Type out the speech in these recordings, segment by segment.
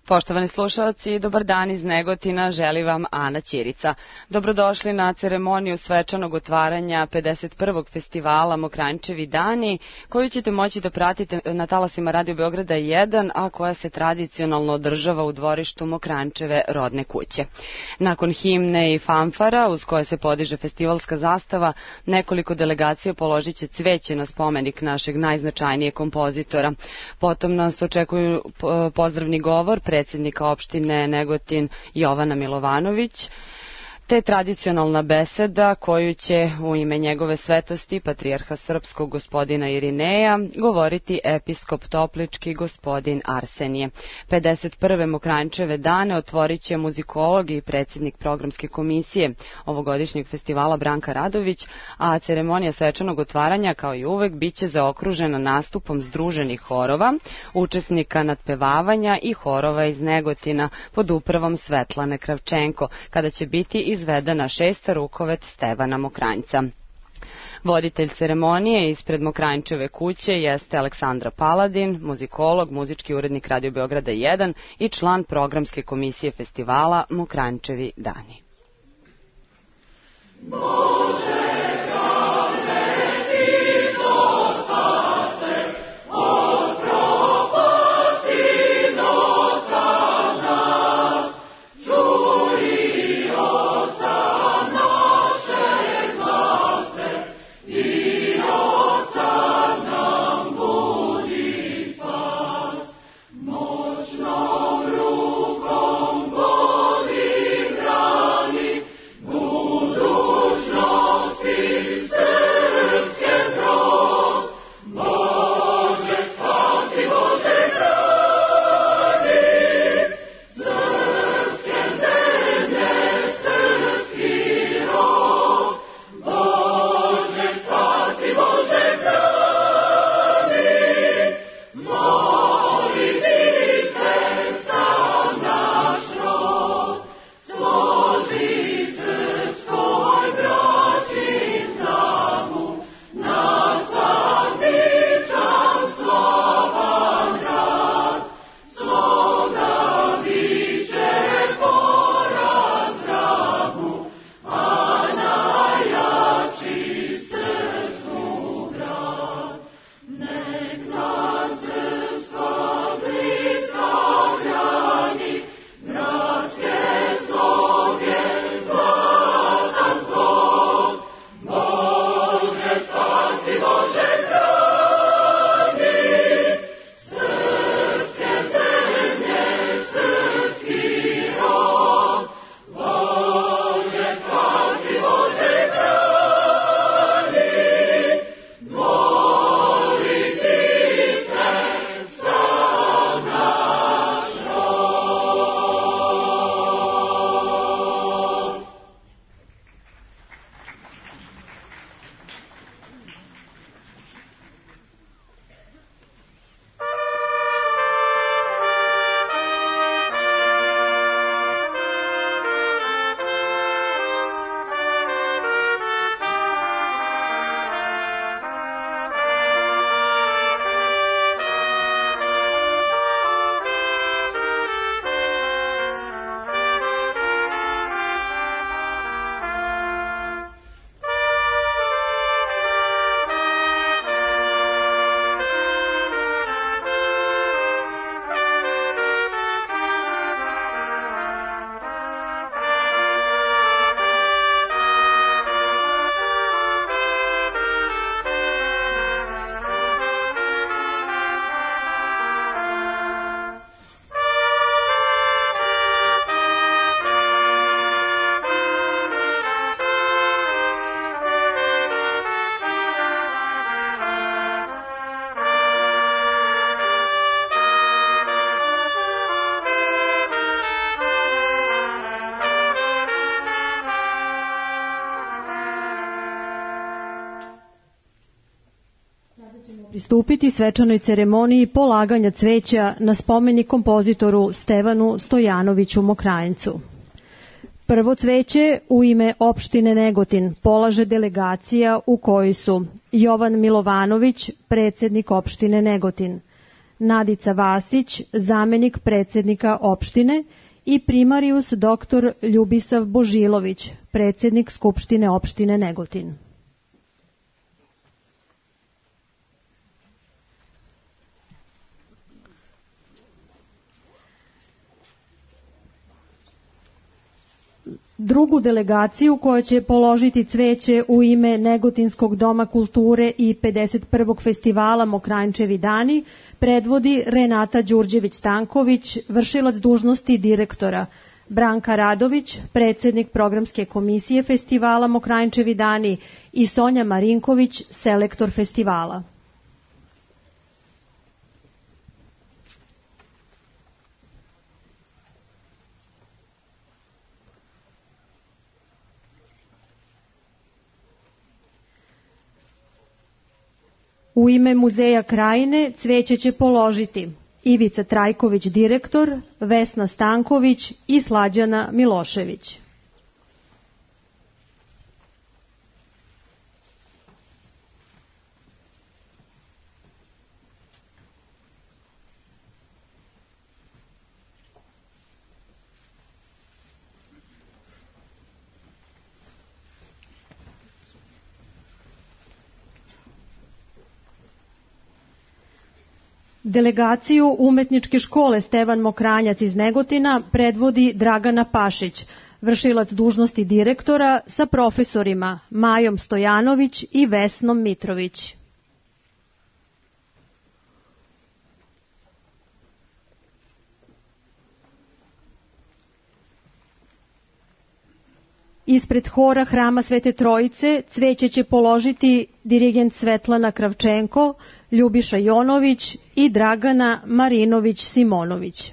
Poštovani slušalci, dobar dan iz Negotina, želi vam Ana Ćirica. Dobrodošli na ceremoniju svečanog otvaranja 51. festivala Mokranjčevi dani, koju ćete moći da pratite na talasima Radio Beograda 1, a koja se tradicionalno održava u dvorištu Mokranjčeve rodne kuće. Nakon himne i fanfara, uz koje se podiže festivalska zastava, nekoliko delegacija položit će cveće na spomenik našeg najznačajnijeg kompozitora. Potom nas očekuju pozdravni govor predsjednika opštine Negotin Jovana Milovanović, te tradicionalna beseda koju će u ime njegove svetosti, patrijarha srpskog gospodina Irineja, govoriti episkop toplički gospodin Arsenije. 51. Mokranjčeve dane otvorit će muzikolog i predsjednik programske komisije ovogodišnjeg festivala Branka Radović, a ceremonija svečanog otvaranja, kao i uvek, bit će zaokružena nastupom združenih horova, učesnika nadpevavanja i horova iz Negotina pod upravom Svetlane Kravčenko, kada će biti izvedena šesta rukovet Stevana Mokranjca. Voditelj ceremonije ispred Mokranjčeve kuće jeste Aleksandra Paladin, muzikolog, muzički urednik Radio Beograda 1 i član programske komisije festivala Mokranjčevi dani. Pristupiti svečanoj ceremoniji polaganja cveća na spomenik kompozitoru Stevanu Stojanoviću Mokranjcu. Prvo cveće u ime opštine Negotin polaže delegacija u kojoj su Jovan Milovanović, predsjednik opštine Negotin, Nadica Vasić, zamenik predsednika opštine, i primarius dr. Ljubisav Božilović, predsednik Skupštine opštine Negotin. Drugu delegaciju koja će položiti cveće u ime Negotinskog doma kulture i 51. festivala Mokranjčevi dani predvodi Renata Đurđević-Stanković, vršilac dužnosti direktora, Branka Radović, predsednik programske komisije festivala Mokranjčevi dani i Sonja Marinković, selektor festivala. U ime Muzeja Krajine cveće će položiti Ivica Trajković, direktor, Vesna Stanković i Slađana Milošević. Delegaciju Umetničke škole Stevan Mokranjac iz Negotina predvodi Dragana Pašić, vršilac dužnosti direktora, sa profesorima Majom Stojanović i Vesnom Mitrović. Ispred hora Hrama Svete Trojice cveće će položiti dirigent Svetlana Kravčenko, Ljubiša Jonović i Dragana Marinović-Simonović.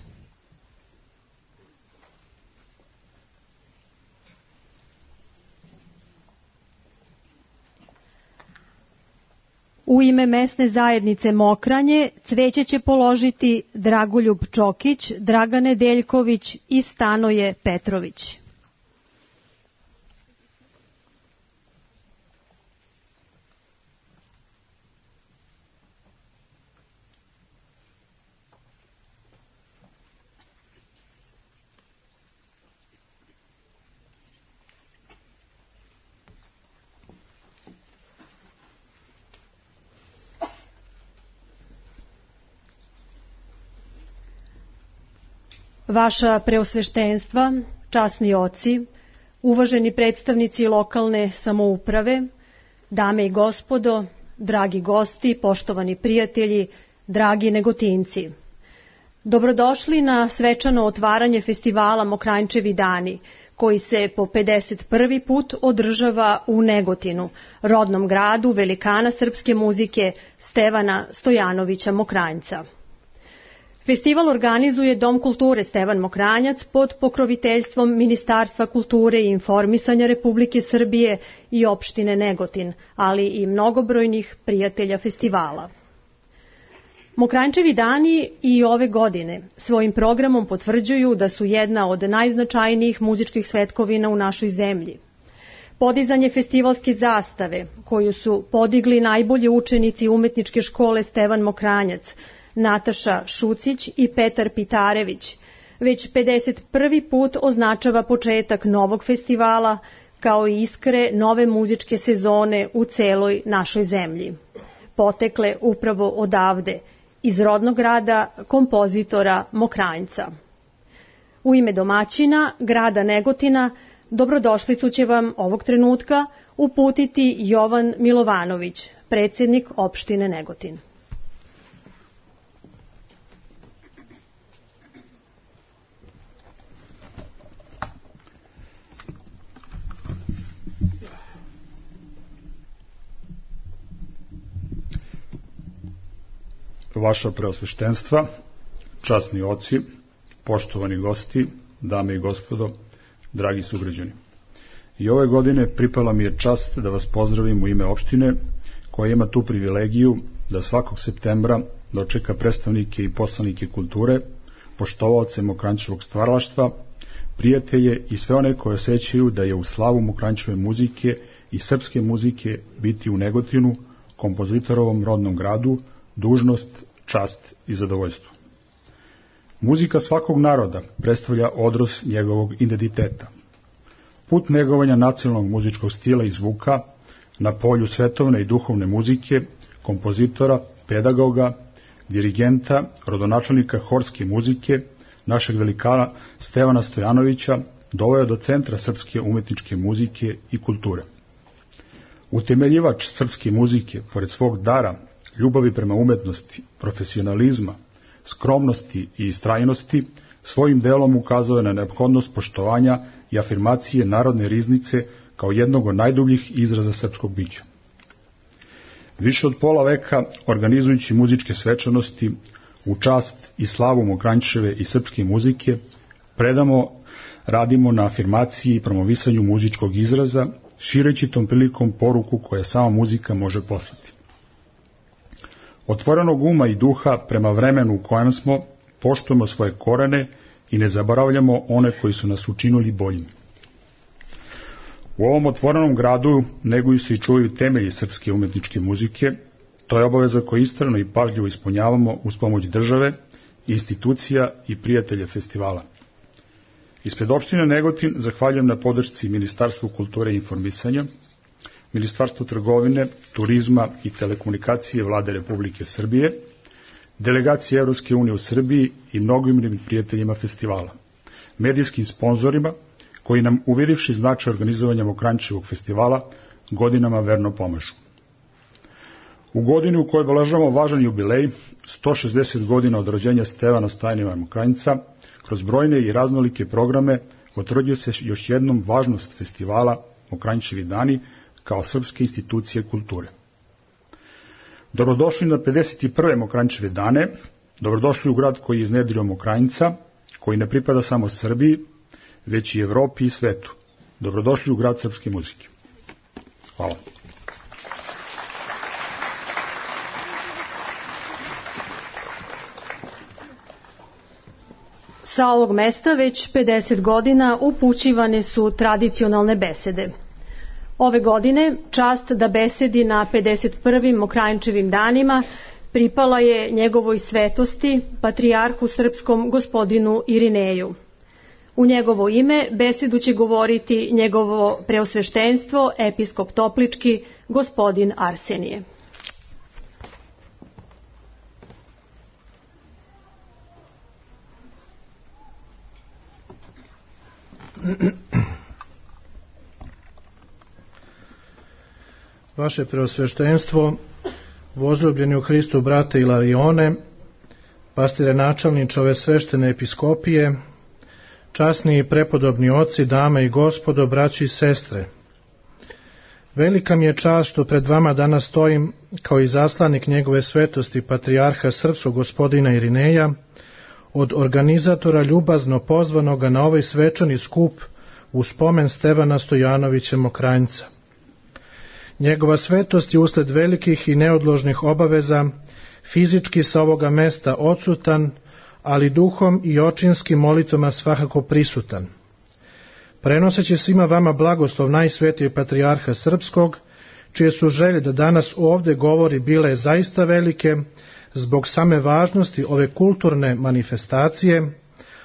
U ime mesne zajednice Mokranje cveće će položiti Dragoljub Čokić, Dragan Nedeljković i Stanoje Petrović. Vaša preosveštenstva, časni oci, uvaženi predstavnici lokalne samouprave, dame i gospodo, dragi gosti, poštovani prijatelji, dragi Negotinci. Dobrodošli na svečano otvaranje festivala Mokranjčevi dani, koji se po 51. put održava u Negotinu, rodnom gradu velikana srpske muzike Stevana Stojanovića Mokranjca. Festival organizuje Dom kulture Stevan Mokranjac pod pokroviteljstvom Ministarstva kulture i informisanja Republike Srbije i opštine Negotin, ali i mnogobrojnih prijatelja festivala. Mokranjčevi dani i ove godine svojim programom potvrđuju da su jedna od najznačajnijih muzičkih svetkovina u našoj zemlji. Podizanje festivalske zastave, koju su podigli najbolji učenici Umetničke škole Stevan Mokranjac, Nataša Šucić i Petar Pitarević, već 51. put označava početak novog festivala, kao i iskre nove muzičke sezone u celoj našoj zemlji. Potekle upravo odavde, iz rodnog grada kompozitora Mokranjca. U ime domaćina, grada Negotina, dobrodošlicu će vam ovog trenutka uputiti Jovan Milovanović, predsednik opštine Negotin. Vaša preosveštenstva, časni oci, poštovani gosti, dame i gospodo, dragi sugrađani. I ove godine pripala mi je čast da vas pozdravim u ime opštine, koja ima tu privilegiju da svakog septembra dočeka predstavnike i poslanike kulture, poštovaoce Mokranjčevog stvaralaštva, prijatelje i sve one koje osjećaju da je u slavu Mokranjčeve muzike i srpske muzike biti u Negotinu, kompozitorovom rodnom gradu, dužnost, čast i zadovoljstvo. Muzika svakog naroda predstavlja odraz njegovog identiteta. Put negovanja nacionalnog muzičkog stila i zvuka na polju svetovne i duhovne muzike, kompozitora, pedagoga, dirigenta, rodonačelnika horske muzike, našeg velikana Stevana Stojanovića, doveo do centra srpske umetničke muzike i kulture. Utemeljivač srpske muzike, pored svog dara, ljubavi prema umetnosti, profesionalizma, skromnosti i istrajnosti, svojim delom ukazao je na neophodnost poštovanja i afirmacije narodne riznice kao jednog od najdubljih izraza srpskog bića. Više od pola veka, organizujući muzičke svečanosti u čast i slavu Mokranjčeve i srpske muzike, radimo na afirmaciji i promovisanju muzičkog izraza, šireći tom prilikom poruku koja sama muzika može poslati. Otvorenog uma i duha prema vremenu u kojem smo, poštujemo svoje korene i ne zaboravljamo one koji su nas učinili boljim. U ovom otvorenom gradu neguju se i čuvaju temelji srpske umetničke muzike. To je obaveza koju istrajno i pažljivo ispunjavamo uz pomoć države, institucija i prijatelja festivala. Ispred opštine Negotin zahvaljujem na podršci Ministarstvu kulture i informisanja, Ministarstvu trgovine, turizma i telekomunikacije Vlade Republike Srbije, delegaciji Evropske unije u Srbiji i mnogim prijateljima festivala, medijskim sponzorima koji nam, uvidivši značaj organizovanja Mokranjčevog festivala, godinama verno pomažu. U godini u kojoj obeležavamo važan jubilej, 160 godina od rođenja Stevana Stojanovića Mokranjca, kroz brojne i raznolike programe potvrđuje se još jednom važnost festivala Mokranjčevi dani kao srpske institucije kulture. Dobrodošli na 51. Mokranjčeve dane, dobrodošli u grad koji je iznedrio Mokranjca, koji ne pripada samo Srbiji, već i Evropi i svetu. Dobrodošli u grad srpske muzike. Hvala. Sa ovog mesta već 50 godina upućivane su tradicionalne besede. Ove godine čast da besedi na 51. Mokranjčevim danima pripala je njegovoj svetosti, patrijarhu srpskom gospodinu Irineju. U njegovo ime besedu će govoriti njegovo preosveštenstvo, episkop Toplički, gospodin Arsenije. Vaše preosveštenstvo, возljubljeni u Hristu brate Ilarione, pastire načelniče ove sveštene episkopije, časni i prepodobni oci, dame i gospodo, braći i sestre. Velika mi je čast što pred vama danas stojim kao izaslanik njegove svetosti patrijarha srpskog gospodina Irineja, od organizatora ljubazno pozvanoga na ovaj svečani skup u spomen Stevana Stojanovića Mokranjca. Njegova svetost je usled velikih i neodložnih obaveza fizički sa ovoga mesta odsutan, ali duhom i očinskim molitvama svakako prisutan. Prenoseći svima vama blagoslov najsvetijeg patrijarha srpskog, čije su želje da danas ovde govori bile zaista velike zbog same važnosti ove kulturne manifestacije,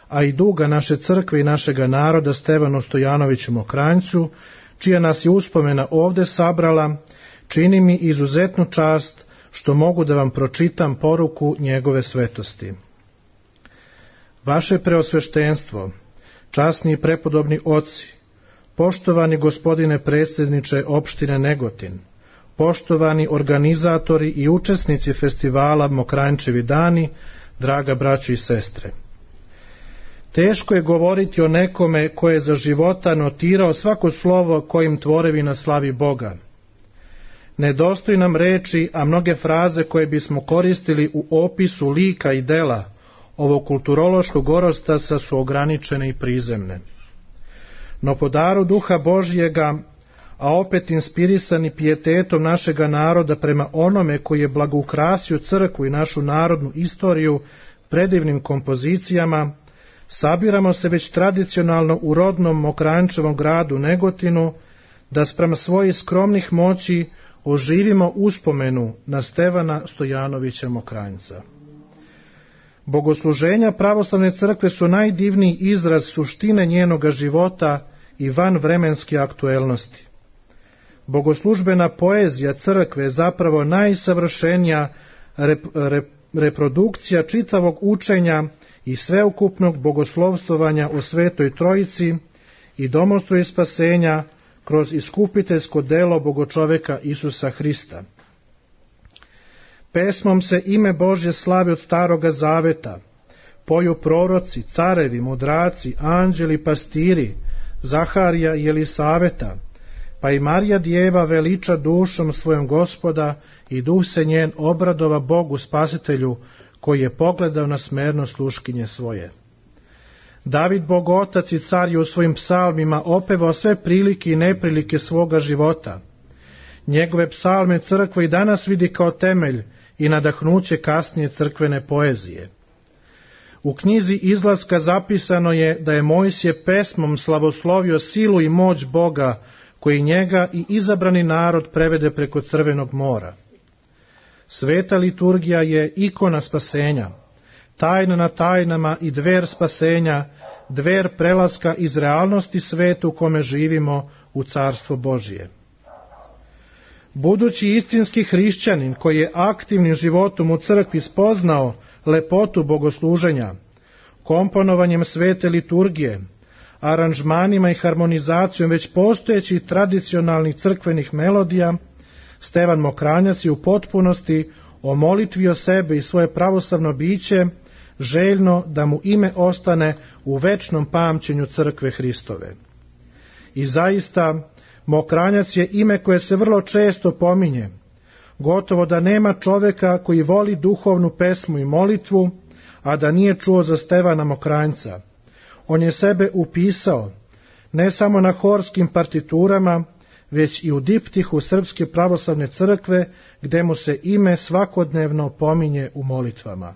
a i duga naše crkve i našega naroda Stevanu Stojanoviću Mokranjcu, čija nas je uspomena ovde sabrala, čini mi izuzetnu čast što mogu da vam pročitam poruku njegove svetosti. Vaše preosveštenstvo, časni i prepodobni oci, poštovani gospodine predsjedniče opštine Negotin, poštovani organizatori i učesnici festivala Mokranjčevi dani, draga braćo i sestre. Teško je govoriti o nekome ko je za života notirao svako slovo kojim tvorevina slavi Boga. Nedostoji nam reči, a mnoge fraze koje bismo koristili u opisu lika i dela ovog kulturološkog orostasa su ograničene i prizemne. No po daru Duha Božjega, a opet inspirisani pijetetom našega naroda prema onome koji je blagoukrasio crkvu i našu narodnu istoriju predivnim kompozicijama, sabiramo se već tradicionalno u rodnom Mokranjčevom gradu Negotinu, da sprem svojih skromnih moći oživimo uspomenu na Stevana Stojanovića Mokranjca. Bogosluženja pravoslavne crkve su najdivniji izraz suštine njenoga života i vanvremenske aktuelnosti. Bogoslužbena poezija crkve je zapravo najsavršenija reprodukcija čitavog učenja i sveukupnog bogoslovstvovanja o Svetoj Trojici i domostru spasenja kroz iskupiteljsko delo Bogočoveka Isusa Hrista. Pesmom se ime Božje slavi od Staroga Zaveta, poju proroci, carevi, mudraci, anđeli, pastiri, Zaharija i Elisaveta, pa i Marija Djeva veliča dušom svojom Gospoda i duh se njen obradova Bogu Spasitelju, koji je pogledao na smerno sluškinje svoje. David Bog Otac i car je u svojim psalmima opevao sve prilike i neprilike svoga života. Njegove psalme crkva i danas vidi kao temelj i nadahnuće kasnije crkvene poezije. U knjizi Izlaska zapisano je da je Mojsije pesmom slavoslovio silu i moć Boga, koji njega i izabrani narod prevede preko Crvenog mora. Sveta liturgija je ikona spasenja, tajna na tajnama i dver spasenja, dver prelaska iz realnosti sveta u kome živimo u Carstvo Božije. Budući istinski hrišćanin koji je aktivnim životom u crkvi spoznao lepotu bogosluženja, komponovanjem svete liturgije, aranžmanima i harmonizacijom već postojećih tradicionalnih crkvenih melodija, Stevan Mokranjac je u potpunosti omolitvio sebe i svoje pravoslavno biće, željno da mu ime ostane u večnom pamćenju crkve Hristove. I zaista, Mokranjac je ime koje se vrlo često pominje. Gotovo da nema čoveka koji voli duhovnu pesmu i molitvu, a da nije čuo za Stevana Mokranjca. On je sebe upisao, ne samo na horskim partiturama, već i u diptihu Srpske pravoslavne crkve, gde mu se ime svakodnevno pominje u molitvama.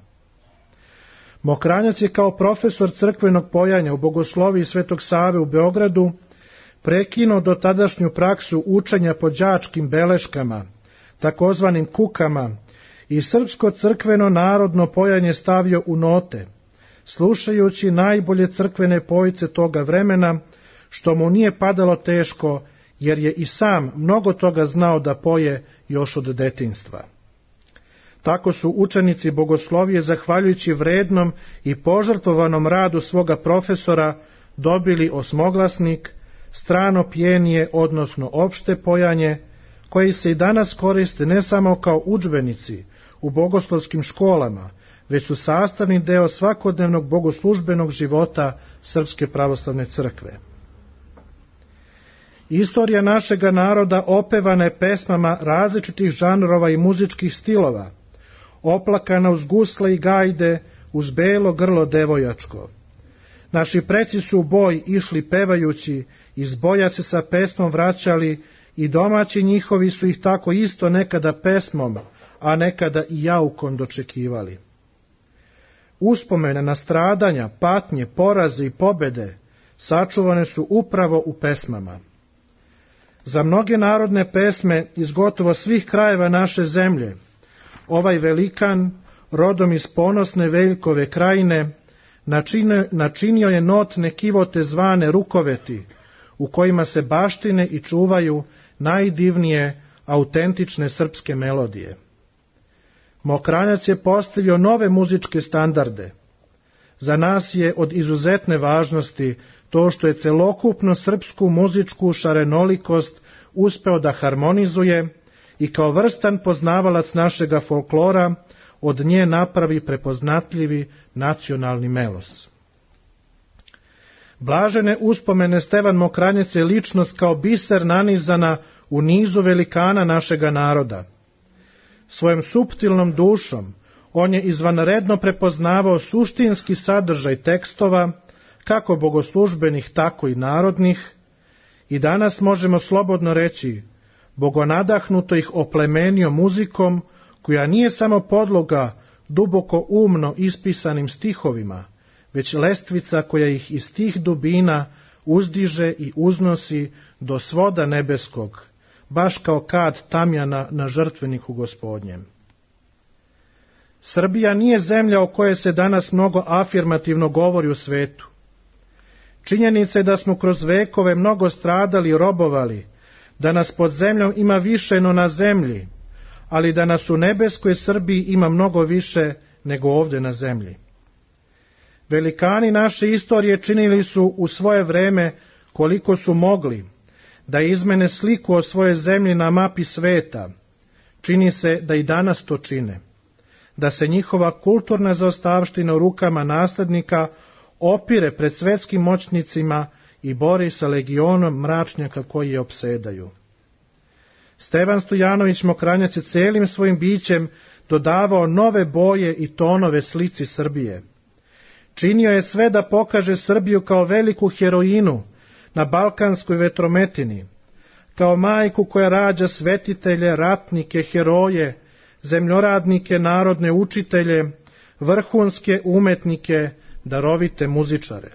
Mokranjac je kao profesor crkvenog pojanja u Bogosloviji Svetog Save u Beogradu prekinuo dotadašnju praksu učenja po đačkim beleškama, takozvanim kukama, i srpsko crkveno narodno pojanje stavio u note, slušajući najbolje crkvene pojice toga vremena, što mu nije padalo teško, jer je i sam mnogo toga znao da poje još od detinjstva. Tako su učenici bogoslovije, zahvaljujući vrednom i požrtvovanom radu svoga profesora, dobili osmoglasnik, strano pjenije, odnosno opšte pojanje, koji se i danas koriste ne samo kao udžbenici u bogoslovskim školama, već su sastavni deo svakodnevnog bogoslužbenog života Srpske pravoslavne crkve. Istorija našega naroda opevana je pesmama različitih žanrova i muzičkih stilova, oplakana uz gusle i gajde, uz belo grlo devojačko. Naši preci su u boj išli pevajući, iz boja se sa pesmom vraćali i domaći njihovi su ih tako isto nekada pesmom, a nekada i jaukom dočekivali. Uspomene na stradanja, patnje, poraze i pobede sačuvane su upravo u pesmama. Za mnoge narodne pesme iz gotovo svih krajeva naše zemlje, ovaj velikan, rodom iz ponosne Veljkove krajine, načinio je notne kivote zvane rukoveti, u kojima se baštine i čuvaju najdivnije, autentične srpske melodije. Mokranjac je postavio nove muzičke standarde. Za nas je od izuzetne važnosti to što je celokupno srpsku muzičku šarenolikost uspeo da harmonizuje i kao vrstan poznavalac našega folklora od nje napravi prepoznatljivi nacionalni melos. Blažene uspomene Stevan Mokranjac je ličnost kao biser nanizana u nizu velikana našega naroda. Svojom suptilnom dušom on je izvanredno prepoznavao suštinski sadržaj tekstova, kako bogoslužbenih, tako i narodnih, i danas možemo slobodno reći, bogonadahnuto ih oplemenio muzikom, koja nije samo podloga duboko umno ispisanim stihovima, već lestvica koja ih iz tih dubina uzdiže i uznosi do svoda nebeskog, baš kao kad tamjana na žrtveniku Gospodnjem. Srbija nije zemlja o kojoj se danas mnogo afirmativno govori u svetu. Činjenica je da smo kroz vekove mnogo stradali i robovali, da nas pod zemljom ima više no na zemlji, ali da nas u nebeskoj Srbiji ima mnogo više nego ovde na zemlji. Velikani naše istorije činili su u svoje vreme koliko su mogli da izmene sliku o svojoj zemlji na mapi sveta. Čini se da i danas to čine, da se njihova kulturna zaostavština u rukama naslednika opire pred svetskim moćnicima i bori sa legionom mračnjaka koji je opsedaju. Stevan Stojanović Mokranjac je celim svojim bićem dodavao nove boje i tonove slici Srbije. Činio je sve da pokaže Srbiju kao veliku heroinu na balkanskoj vetrometini, kao majku koja rađa svetitelje, ratnike, heroje, zemljoradnike, narodne učitelje, vrhunske umetnike, darovite muzičare.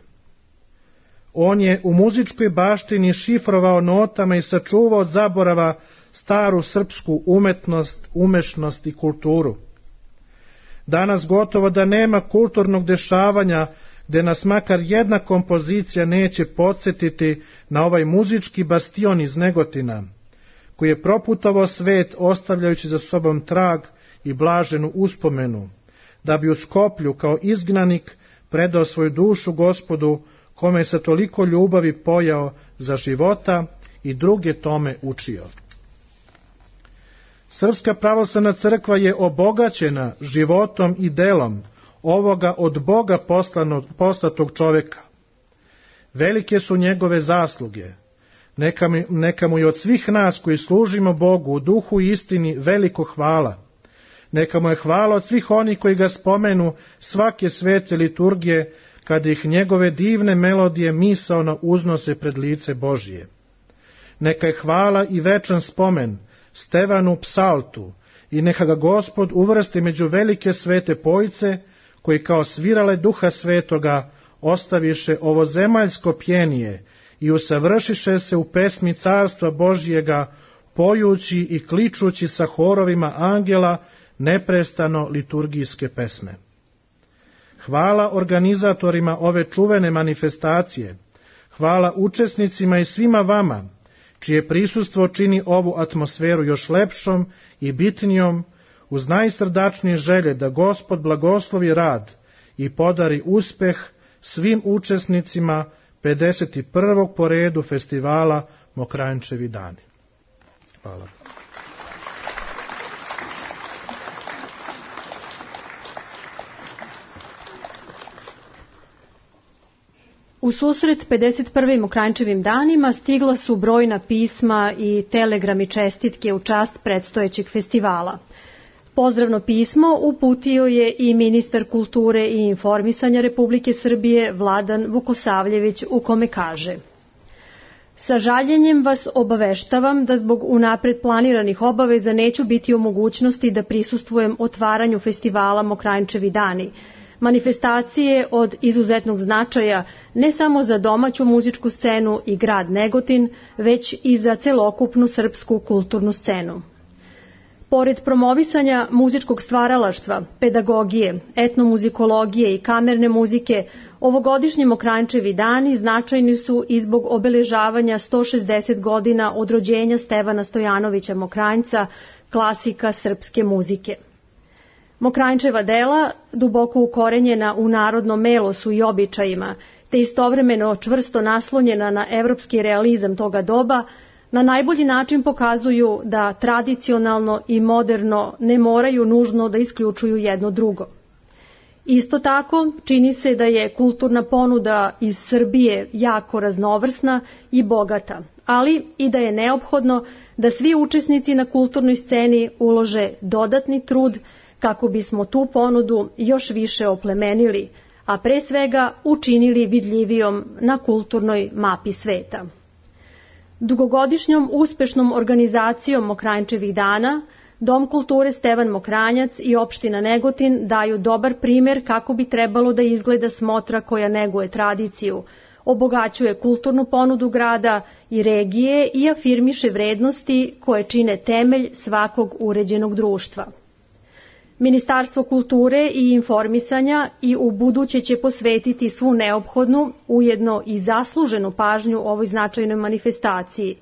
On je u muzičkoj baštini šifrovao notama i sačuvao od zaborava staru srpsku umetnost, umešnost i kulturu. Danas gotovo da nema kulturnog dešavanja gde nas makar jedna kompozicija neće podsjetiti na ovaj muzički bastion iz Negotina, koji je proputovao svet ostavljajući za sobom trag i blaženu uspomenu, da bi u Skoplju kao izgnanik predao svoju dušu Gospodu, kome je sa toliko ljubavi pojao za života i druge tome učio. Srpska pravoslavna crkva je obogaćena životom i delom ovoga od Boga poslatog čoveka. Velike su njegove zasluge. Neka mu je od svih nas koji služimo Bogu u duhu i istini veliko hvala. Neka mu je hvala od svih onih koji ga spomenu svake svete liturgije, kada ih njegove divne melodije misaono uznose pred lice Božije. Neka je hvala i večan spomen Stevanu Psaltu i neka ga Gospod uvrsti među velike svete pojce, koji kao svirale Duha Svetoga ostaviše ovo zemaljsko pjenije i usavršiše se u pesmi Carstva Božijega, pojući i kličući sa horovima angela neprestano liturgijske pesme. Hvala organizatorima ove čuvene manifestacije, hvala učesnicima i svima vama, čije prisustvo čini ovu atmosferu još lepšom i bitnijom, uz najsrdačnije želje da Gospod blagoslovi rad i podari uspeh svim učesnicima 51. po redu festivala Mokranjčevi dani. Hvala. U susret 51. Mokranjčevim danima stigla su brojna pisma i telegrami čestitke u čast predstojećeg festivala. Pozdravno pismo uputio je i ministar kulture i informisanja Republike Srbije Vladan Vukosavljević, u kome kaže: Sa žaljenjem vas obaveštavam da zbog unapred planiranih obaveza neću biti u mogućnosti da prisustvujem otvaranju festivala Mokranjčevi dani, manifestacije od izuzetnog značaja ne samo za domaću muzičku scenu i grad Negotin, već i za celokupnu srpsku kulturnu scenu. Pored promovisanja muzičkog stvaralaštva, pedagogije, etnomuzikologije i kamerne muzike, ovogodišnji Mokranjčevi dani značajni su i zbog obeležavanja 160 godina od rođenja Stevana Stojanovića Mokranjca, klasika srpske muzike. Mokranjčeva dela, duboko ukorenjena u narodnom melosu i običajima, te istovremeno čvrsto naslonjena na evropski realizam toga doba, na najbolji način pokazuju da tradicionalno i moderno ne moraju nužno da isključuju jedno drugo. Isto tako, čini se da je kulturna ponuda iz Srbije jako raznovrsna i bogata, ali i da je neophodno da svi učesnici na kulturnoj sceni ulože dodatni trud kako bismo tu ponudu još više oplemenili, a pre svega učinili vidljivijom na kulturnoj mapi sveta. Dugogodišnjom uspešnom organizacijom Mokranjčevih dana, Dom kulture Stevan Mokranjac i opština Negotin daju dobar primer kako bi trebalo da izgleda smotra koja neguje tradiciju, obogaćuje kulturnu ponudu grada i regije i afirmiše vrednosti koje čine temelj svakog uređenog društva. Ministarstvo kulture i informisanja i u buduće će posvetiti svu neophodnu, ujedno i zasluženu pažnju ovoj značajnoj manifestaciji.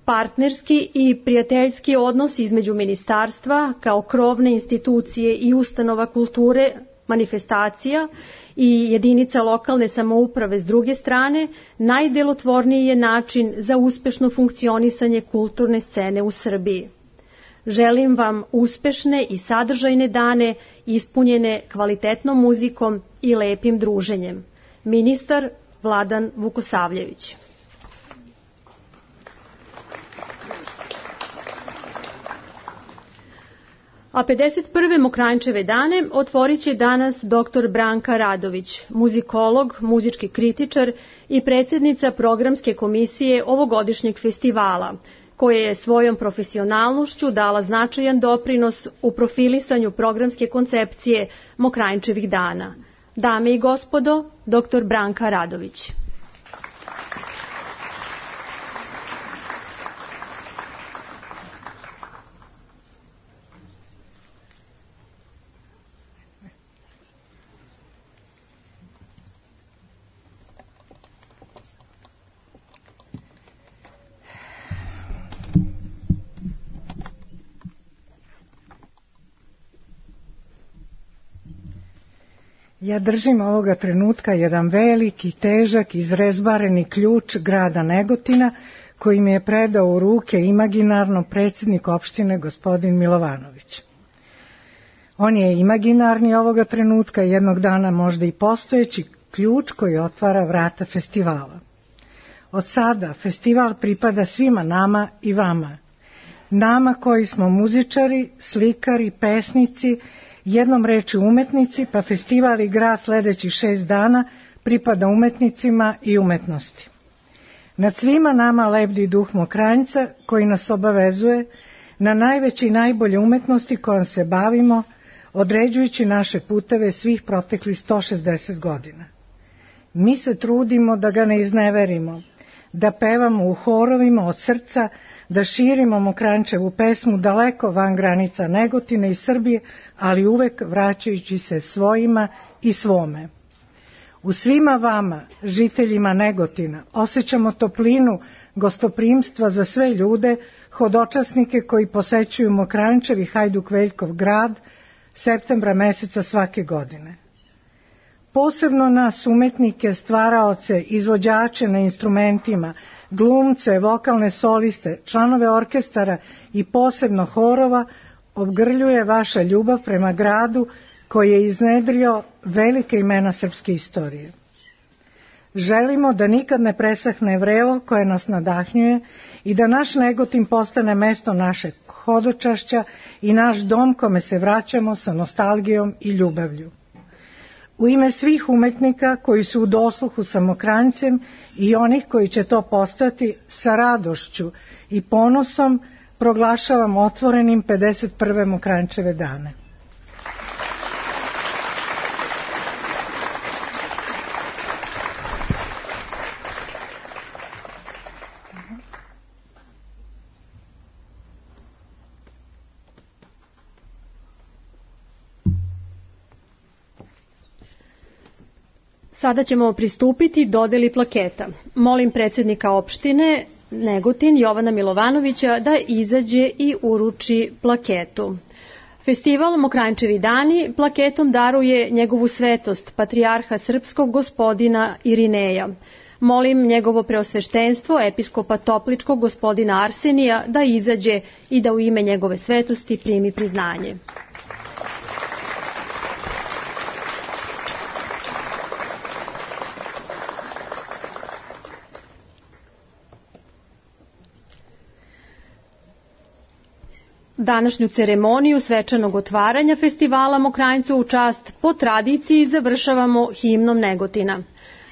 Partnerski i prijateljski odnos između ministarstva kao krovne institucije i ustanova kulture, manifestacija i jedinica lokalne samouprave s druge strane najdelotvorniji je način za uspešno funkcionisanje kulturne scene u Srbiji. Želim vam uspešne i sadržajne dane ispunjene kvalitetnom muzikom i lepim druženjem. Ministar Vladan Vukosavljević. A 51. Mokranjčeve dane otvorit će danas dr. Branka Radović, muzikolog, muzički kritičar i predsjednica programske komisije ovogodišnjeg festivala, koja je svojom profesionalnošću dala značajan doprinos u profilisanju programske koncepcije Mokranjčevih dana. Dame i gospodo, dr. Branka Radović. Ja držim ovoga trenutka jedan veliki, težak, izrezbareni ključ grada Negotina koji mi je predao u ruke imaginarno predsjednik opštine gospodin Milovanović. On je imaginarni ovoga trenutka, jednog dana možda i postojeći ključ koji otvara vrata festivala. Od sada festival pripada svima nama i vama. Nama koji smo muzičari, slikari, pesnici, jednom rečju umetnici, pa festival i grad sledećih 6 dana pripada umetnicima i umetnosti. Nad svima nama lebdi duh Mokranjca koji nas obavezuje na najveće i najbolje umetnosti kojom se bavimo, određujući naše puteve svih proteklih 160 godina. Mi se trudimo da ga ne izneverimo, da pevamo u horovima od srca, da širimo Mokranjčevu pesmu daleko van granica Negotina i Srbije, ali uvek vraćajući se svojima i svome. U svima vama, žiteljima Negotina, osjećamo toplinu gostoprimstva za sve ljude, hodočasnike koji posećuju Mokranjčev i Hajduk Veljkov grad septembra meseca svake godine. Posebno nas umetnike, stvaraoce, izvođače na instrumentima, glumce, vokalne soliste, članove orkestara i posebno horova obgrljuje vaša ljubav prema gradu koji je iznedrio velike imena srpske istorije. Želimo da nikad ne presahne vrelo koje nas nadahnjuje i da naš Negotin postane mesto našeg hodočašća i naš dom kome se vraćamo sa nostalgijom i ljubavlju. U ime svih umetnika koji su u dosluhu sa Mokranjcem i onih koji će to postati, sa radošću i ponosom proglašavam otvorenim 51. Mokranjčeve dane. Sada ćemo pristupiti dodeli plaketa. Molim predsjednika opštine Negotin Jovana Milovanovića da izađe i uruči plaketu. Festival Mokranjčevi dani plaketom daruje njegovu svetost, patrijarha srpskog gospodina Irineja. Molim njegovo preosveštenstvo, episkopa Topličkog gospodina Arsenija da izađe i da u ime njegove svetosti primi priznanje. Današnju ceremoniju svečanog otvaranja festivala Mokranjcu u čast po tradiciji završavamo himnom Negotina.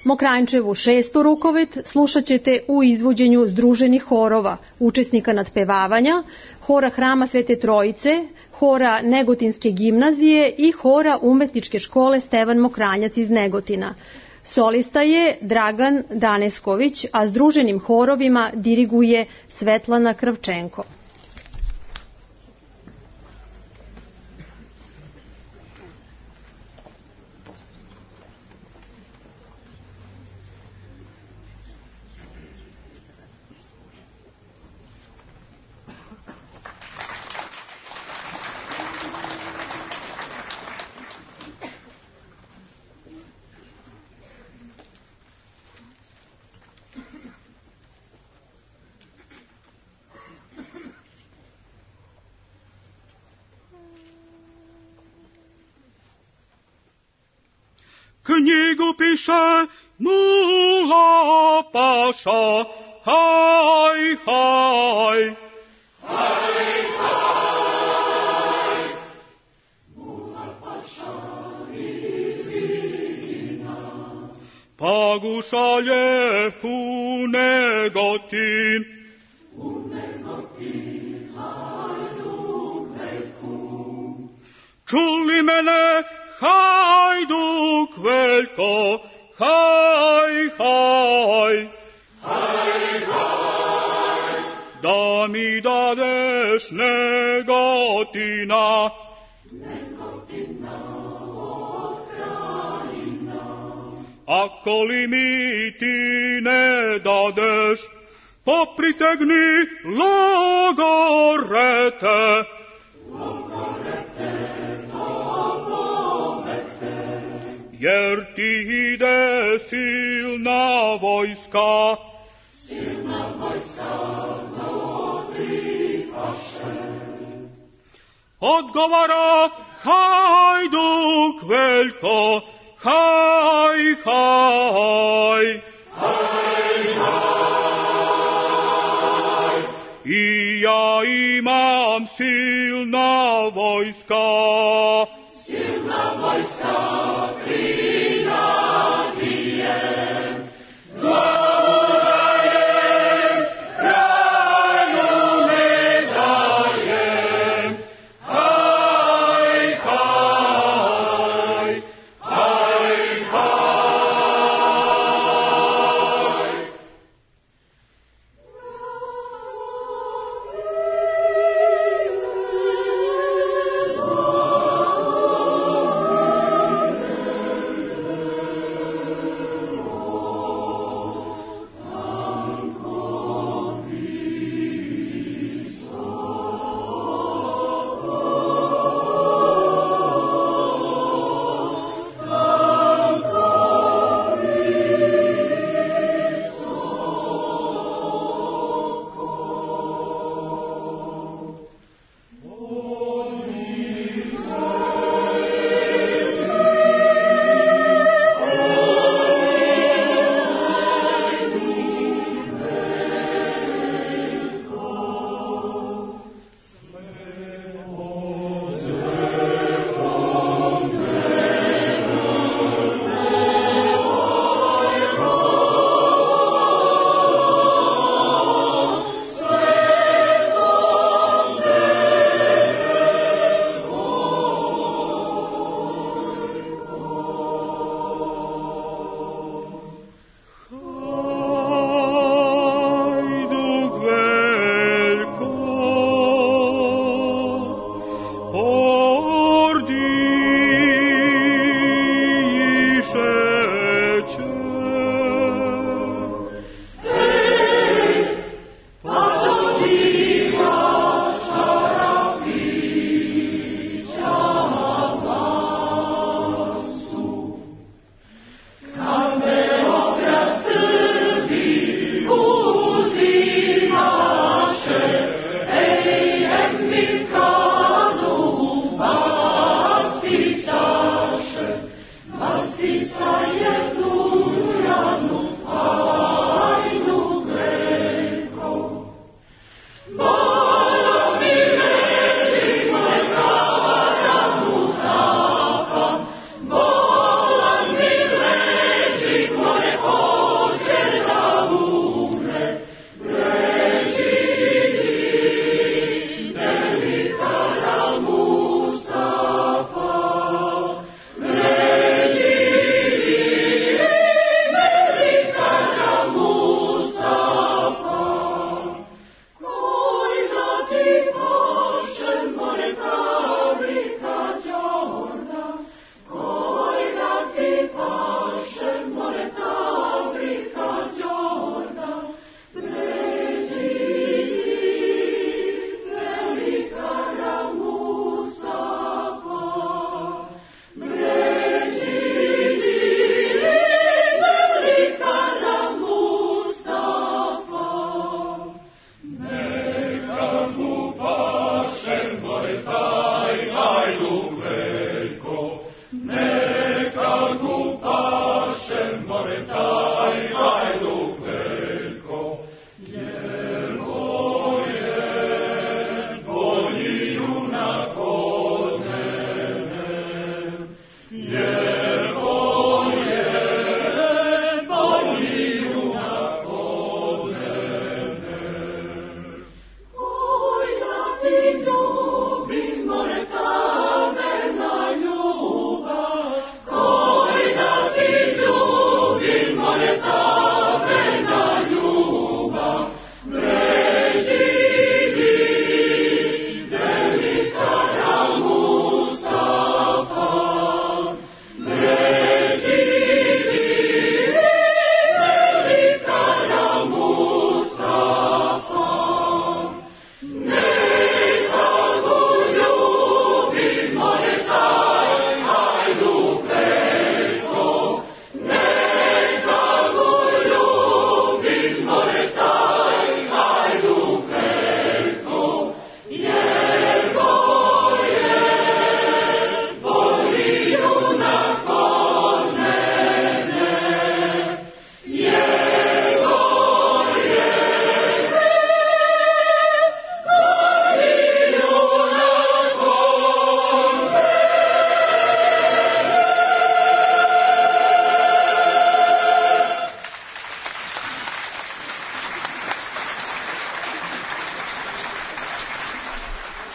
Mokranjčevu 6. rukovet slušat ćete u izvođenju združenih horova, učesnika nadpevavanja, hora Hrama Svete Trojice, hora Negotinske gimnazije i hora Umetničke škole Stevan Mokranjac iz Negotina. Solista je Dragan Danesković, a združenim horovima diriguje Svetlana Kravčenko. knjigu piše Mula Paša, haj, haj. Haj, haj, Mula Paša izina, pa gu šalje u Negotin, hajduk Veljku. Čuli mene, hajduk Veljko, haj, haj. Haj, haj, da mi dadeš Negotina, Negotina od krajina. Ako li mi ti ne dadeš, popritegni logorete, logorete do pomete, jer ti ide silna vojska noti paše. Odgovara hajduk Veljko, haj, haj. Haj, haj, i ja imam silna vojska, silna vojska prinadijem, glavu dajem, kralju ne dajem, haj, haj, haj, haj.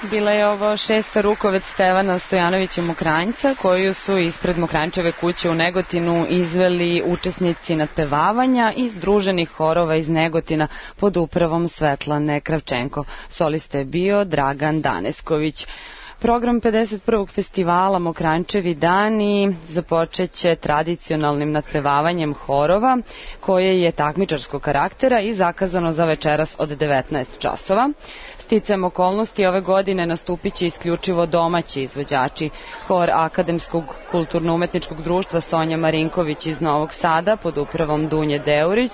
Bila je ovo 6. rukovec Stevana Stojanovića Mokranjca, koju su ispred Mokranjčeve kuće u Negotinu izveli učesnici nadpevavanja iz združenih horova iz Negotina pod upravom Svetlane Kravčenko. Solista je bio Dragan Danesković. Program 51. festivala Mokranjčevi dani započeće tradicionalnim nadpevavanjem horova, koje je takmičarskog karaktera i zakazano za večeras od 19 časova. Sticajem okolnosti ove godine nastupit će isključivo domaći izvođači. Hor Akademskog kulturno-umetničkog društva Sonja Marinković iz Novog Sada pod upravom Dunje Deurić,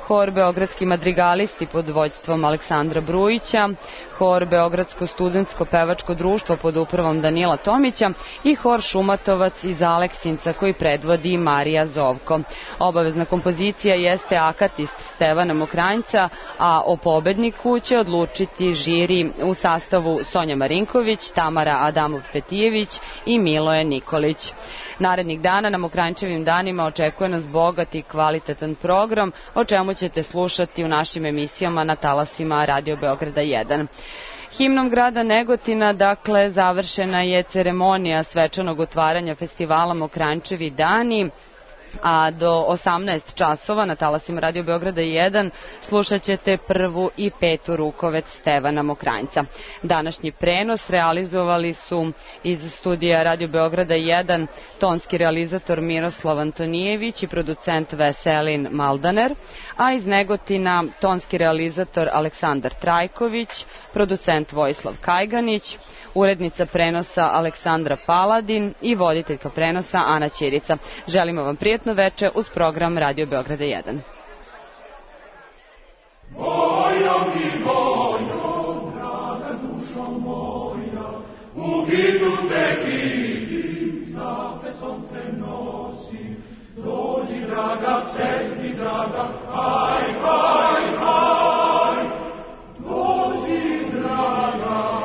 Hor Beogradski madrigalisti pod vođstvom Aleksandra Brujića, Hor Beogradsko studentsko pevačko društvo pod upravom Danila Tomića i Hor Šumatovac iz Aleksinca koji predvodi Marija Zovko. Obavezna kompozicija jeste Akatist Stevana Mokranjca, a o pobedniku će odlučiti žiri u sastavu Sonja Marinković, Tamara Adamov-Petijević i Miloje Nikolić. Narednih dana na Mokranjčevim danima očekuje nas bogat i kvalitetan program, o čemu ćete slušati u našim emisijama na talasima Radio Beograda 1. Himnom grada Negotina, dakle, završena je ceremonija svečanog otvaranja festivala Mokranjčevi dani, a do 18 časova na talasima Radio Beograda 1 slušat ćete 1. i 5. rukovec Stevana Mokranjca. Današnji prenos realizovali su iz studija Radio Beograda 1 tonski realizator Miroslav Antonijević i producent Veselin Maldaner, a iz Negotina tonski realizator Aleksandar Trajković, producent Vojislav Kajganić, urednica prenosa Aleksandra Paladin i voditeljka prenosa Ana Ćirica. Želimo vam prijatno veče uz program Radio Beograda 1. Moja mi moja, draga dušo moja, u gidu te vidim, zafesom te nosim. Dođi, draga, sedni, draga, haj, haj, haj. Dođi, draga,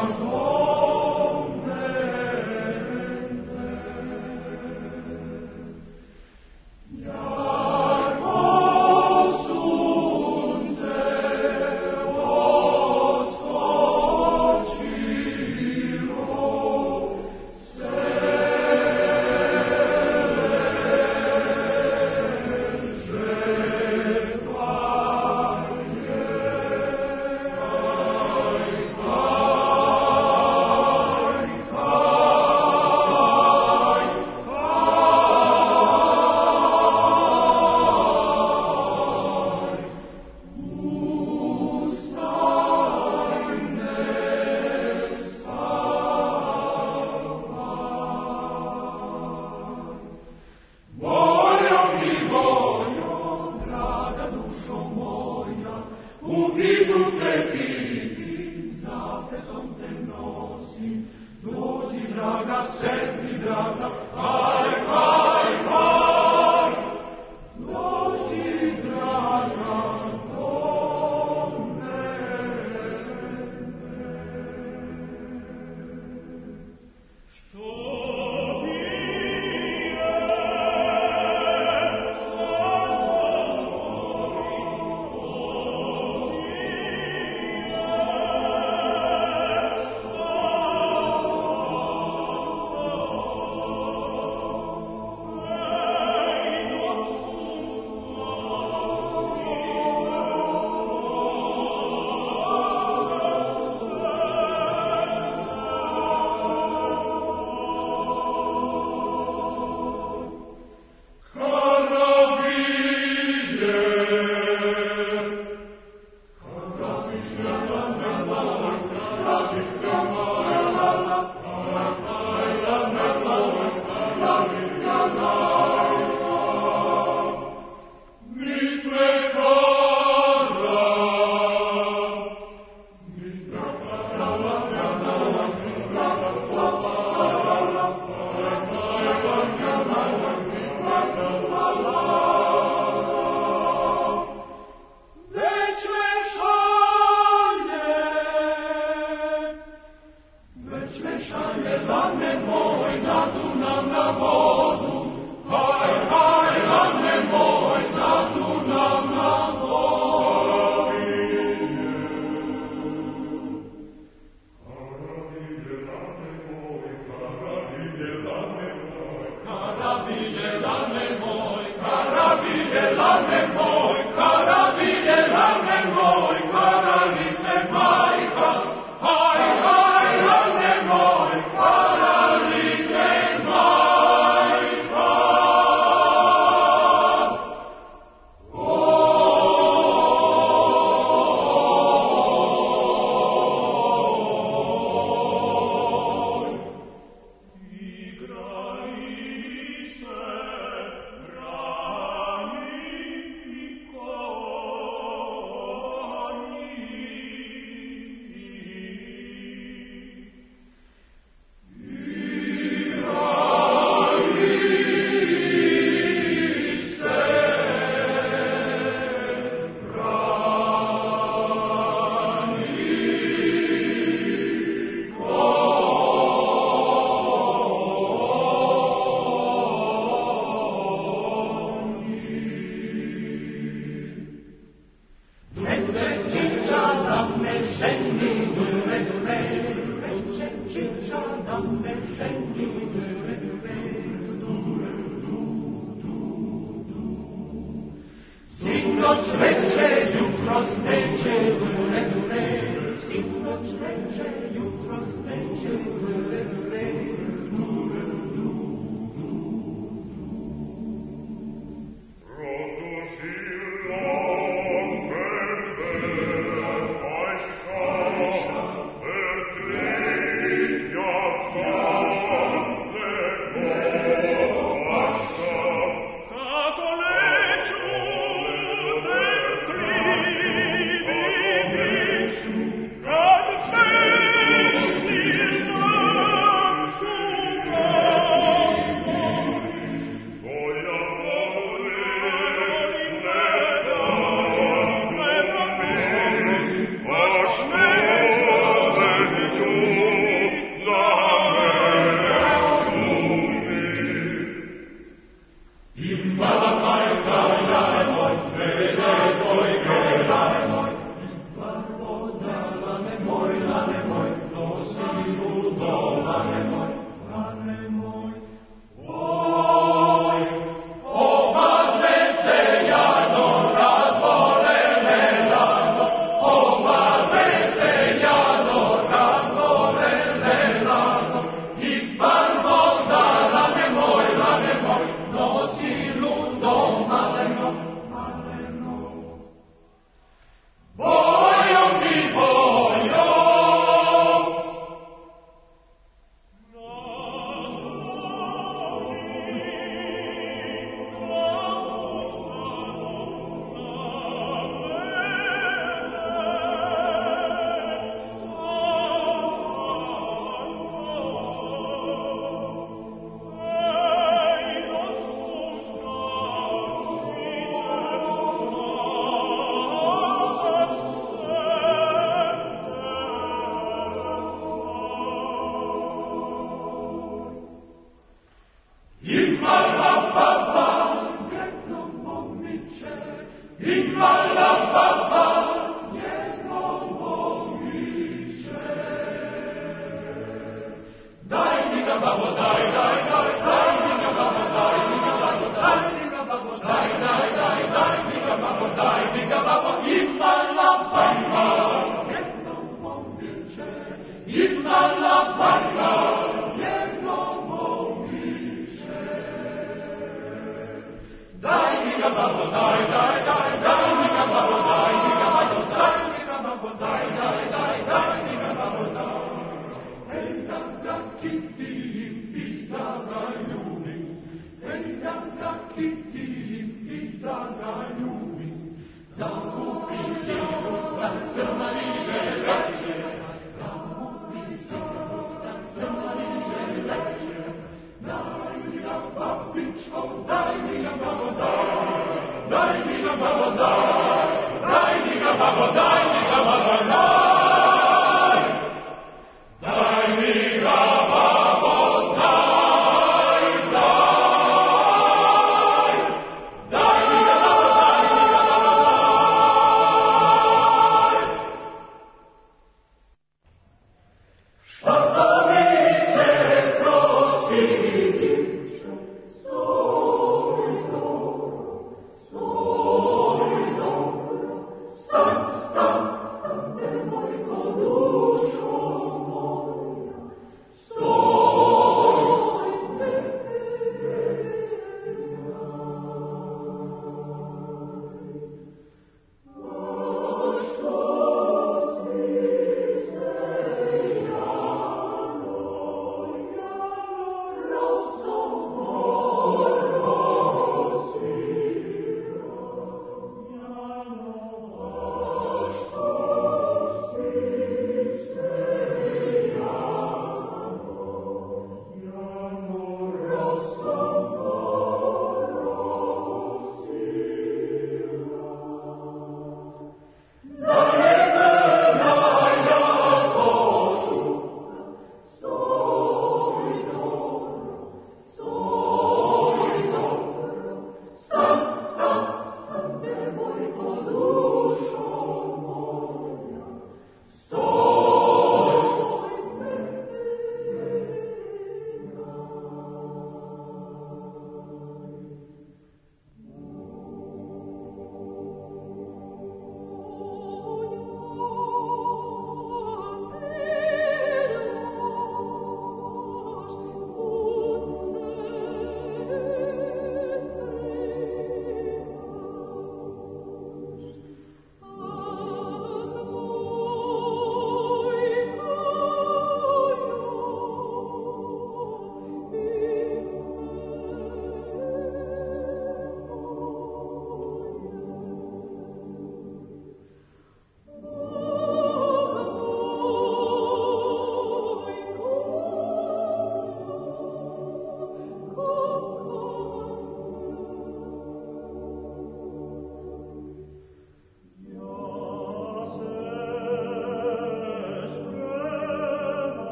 Imma la